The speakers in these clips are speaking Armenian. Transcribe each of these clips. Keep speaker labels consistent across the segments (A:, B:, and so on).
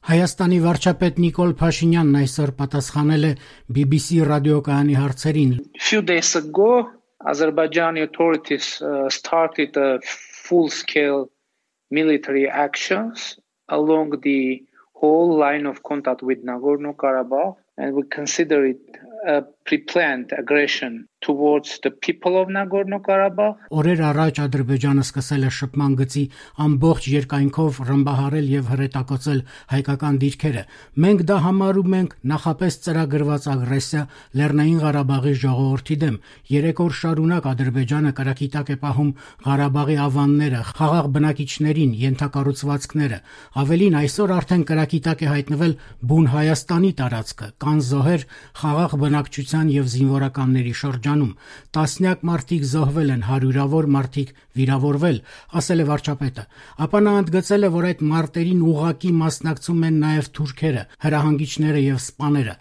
A: Հայաստանի վարչապետ Նիկոլ Փաշինյանն այսօր պատասխանել է BBC ռադիոկայանի հարցերին.
B: Few days ago, Azerbaijani authorities started a full-scale military actions along the whole line of contact with Nagorno-Karabakh, and we consider it a pre-planned aggression towards the people of Nagorno-Karabakh.
A: Օրեր առաջ Ադրբեջանը սկսել է շփման գծի ամբողջ երկայնքով ռմբահարել եւ հրետակոծել հայկական դիրքերը։ Մենք դա համարում ենք նախապես ծրագրված ագրեսիա Լեռնային Ղարաբաղի ժողովրդի դեմ։ 3 օր շարունակ Ադրբեջանը կրակի տակ է պահում Ղարաբաղի ավանները, խաղաղ բնակիչներին, ենթակառուցվածքները։ Ավելին այսօր արդեն կրակի տակ է հայտնվել բուն Հայաստանի տարածքը, կան զոհեր խաղաղ բնակչության եւ զինվորականների շրջանում։ Տասնյակ մարդիկ զոհվել են, հարյուրավոր մարդիկ վիրավորվել, ասել է վարչապետը։ Ապա նա ընդգծել է, որ այդ մարտերին ուղղակի մասնակցում են նաեւ թուրքերը, հրահանգիչները եւ սպաները։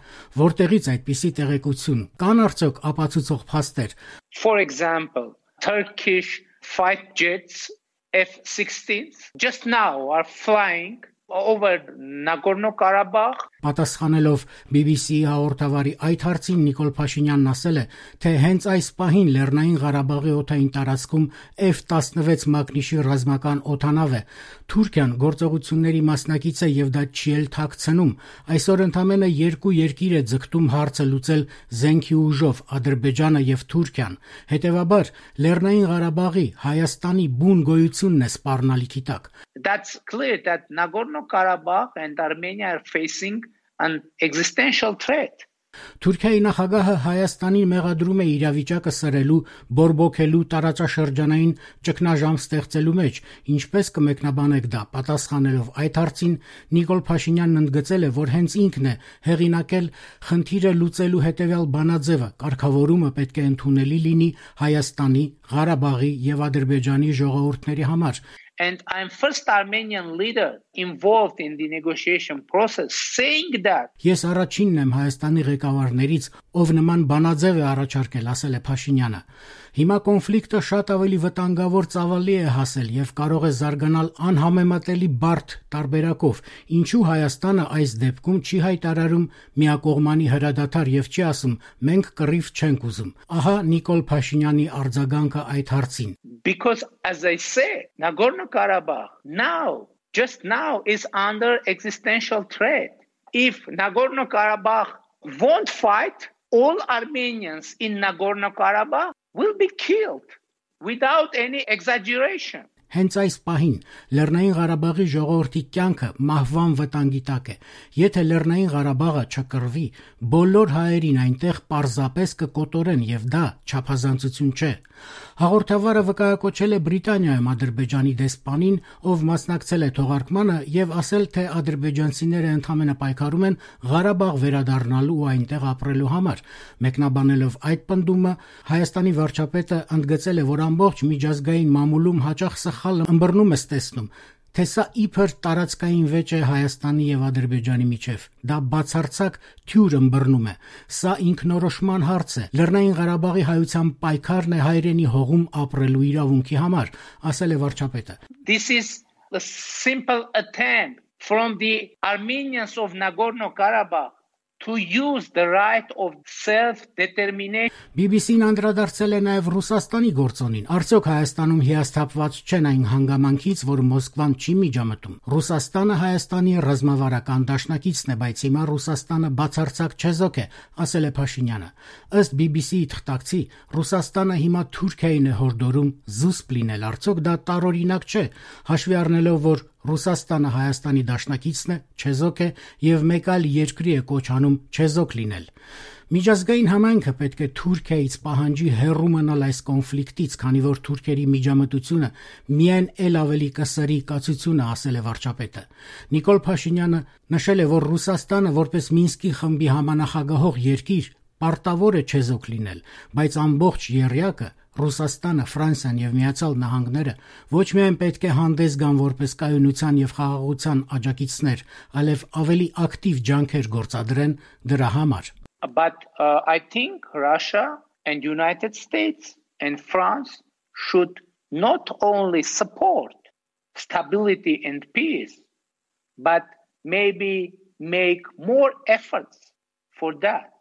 A: Որտեղից այդպիսի տեղեկություն։ Կան արդյոք ապացուցող փաստեր։
B: For example, Turkish fighter jets F-16s just now are flying over Nagorno-Karabakh.
A: Պատասխանելով BBC-ի հաղորդավարի այդ հարցին Նիկոլ Փաշինյանն ասել է, թե հենց այս պահին Լեռնային Ղարաբաղի օդային տարածքում F-16 մակնիշի ռազմական օդանավ է։ Թուրքիան գործողությունների մասնակից է եւ դա չի էլ թաքցնում։ Այսօր ընդամենը 2 երկիր է ձգտում հարցը լուծել զենքի ուժով՝ Ադրբեջանը եւ Թուրքիան։ Հետևաբար Լեռնային Ղարաբաղի Հայաստանի բուն գոյությունն է սպառնալիքի տակ։
B: That's clear that Nagorno-Karabakh and Armenia are facing an existential threat.
A: Թուրքիայի նախագահը Հայաստանին մեղադրում է իրավիճակը սրելու, բորբոքելու, տարածաշրջանային ճգնաժամ ստեղծելու մեջ, ինչպես կմեկնաբանեք դա։ Պատասխանելով այդ հարցին Նիկոլ Փաշինյանն ընդգծել է, որ հենց ինքն է հեղինակել խնդիրը լուծելու հետևյալ բանաձևը, կարգավորումը պետք է ընդունելի լինի Հայաստանի, Ղարաբաղի եւ Ադրբեջանի ժողովուրդների համար։
B: And I'm first Armenian leader involved in the negotiation process saying that
A: Ես առաջինն եմ Հայաստանի ղեկավարներից, ով նման բանաձև է առաջարկել, ասել է Փաշինյանը։ Հիմա կոնֆլիկտը շատ ավելի վտանգավոր ծավալի է հասել եւ կարող է զարգանալ անհամեմատելի բարդ տարբերակով։ Ինչու Հայաստանը այս դեպքում չի հայտարարում միակողմանի հրադադար եւ չի ասում մենք կռիվ չենք ուզում։ Ահա Նիկոլ Փաշինյանի արձագանքը այդ հարցին։
B: Because as I say, Nagorno-Karabakh just now is under existential threat. If Nagorno-Karabakh won't fight, all Armenians in Nagorno-Karabakh will be killed without any exaggeration.
A: Հենց այս պահին Լեռնային Ղարաբաղի ժողովրդի կյանքը մահվան վտանգի տակ է։ Եթե Լեռնային Ղարաբաղը չկռվի, բոլոր հայերին այնտեղ պարզապես կկոտորեն եւ դա չափազանցություն չէ։ Հաղորդավարը վկայակոչել է Բրիտանիայում Ադրբեջանի դեսպանին, ով մասնակցել է թողարկմանը եւ ասել, թե ադրբեջանցիները ընդհանրապես պայքարում են Ղարաբաղ վերադառնալու ու այնտեղ ապրելու համար։ Մեկնաբանելով այդ պնդումը, Հայաստանի վարչապետը ընդգծել է, որ ամբողջ միջազգային մամուլում հաճախ սխալ ըմբռնում է ստեսնում, թե սա իբր տարածքային վեճ է Հայաստանի եւ Ադրբեջանի միջև։ Դա բացարձակ թյուր ըմբռնում է։ Սա ինքնորոշման հարց է։ Լեռնային Ղարաբաղի հայության պայքարն է հայրենի հողում ապրելու իրավունքի համար, ասել է վարչապետը։
B: This is a simple attempt from the Armenians of Nagorno-Karabakh to use the right of self-determination.
A: BBC-ն անդրադարձել է նաև Ռուսաստանի գործոնին։ Արդյոք Հայաստանում հիասթափված չեն այն հանգամանքից, որ Մոսկվան չի միջամտում։ Ռուսաստանը Հայաստանի ռազմավարական դաշնակիցն է, բայց հիմա Ռուսաստանը բացարձակ չեզոք է, ասել է Փաշինյանը։ Ըստ BBC-ի թղթակցի, Ռուսաստանը հիմա Թուրքիային է հորդորում զուսպ լինել։ Արդյոք դա տարօրինակ չէ, հաշվի առնելով, որ Ռուսաստանը Հայաստանի դաշնակիցն է, չեզոք է եւ մեկ այլ երկրի է կոչ անում չեզոք լինել։ Միջազգային համայնքը պետք է Թուրքիայից պահանջի հեռու մնալ այս կոնֆլիկտից, քանի որ թուրքերի միջամտությունը միայն ել ավելի կսրի կացությունը, ասել է վարչապետը։ Նիկոլ Փաշինյանը նշել է, որ Ռուսաստանը որպես Մինսկի խմբի համանախագահող երկիր պարտավոր է չեզոք լինել, բայց ամբողջ եռյակը Ռուսաստանը, Ֆրանսիան եւ Միացյալ Նահանգները ոչ միայն պետք է հանդես գան որպես կայունության եւ խաղաղության աջակիցներ, այլև ավելի ակտիվ ջանքեր գործադրեն դրա համար։
B: But I think Russia and United States and France should not only support stability and peace, but maybe make more efforts for that.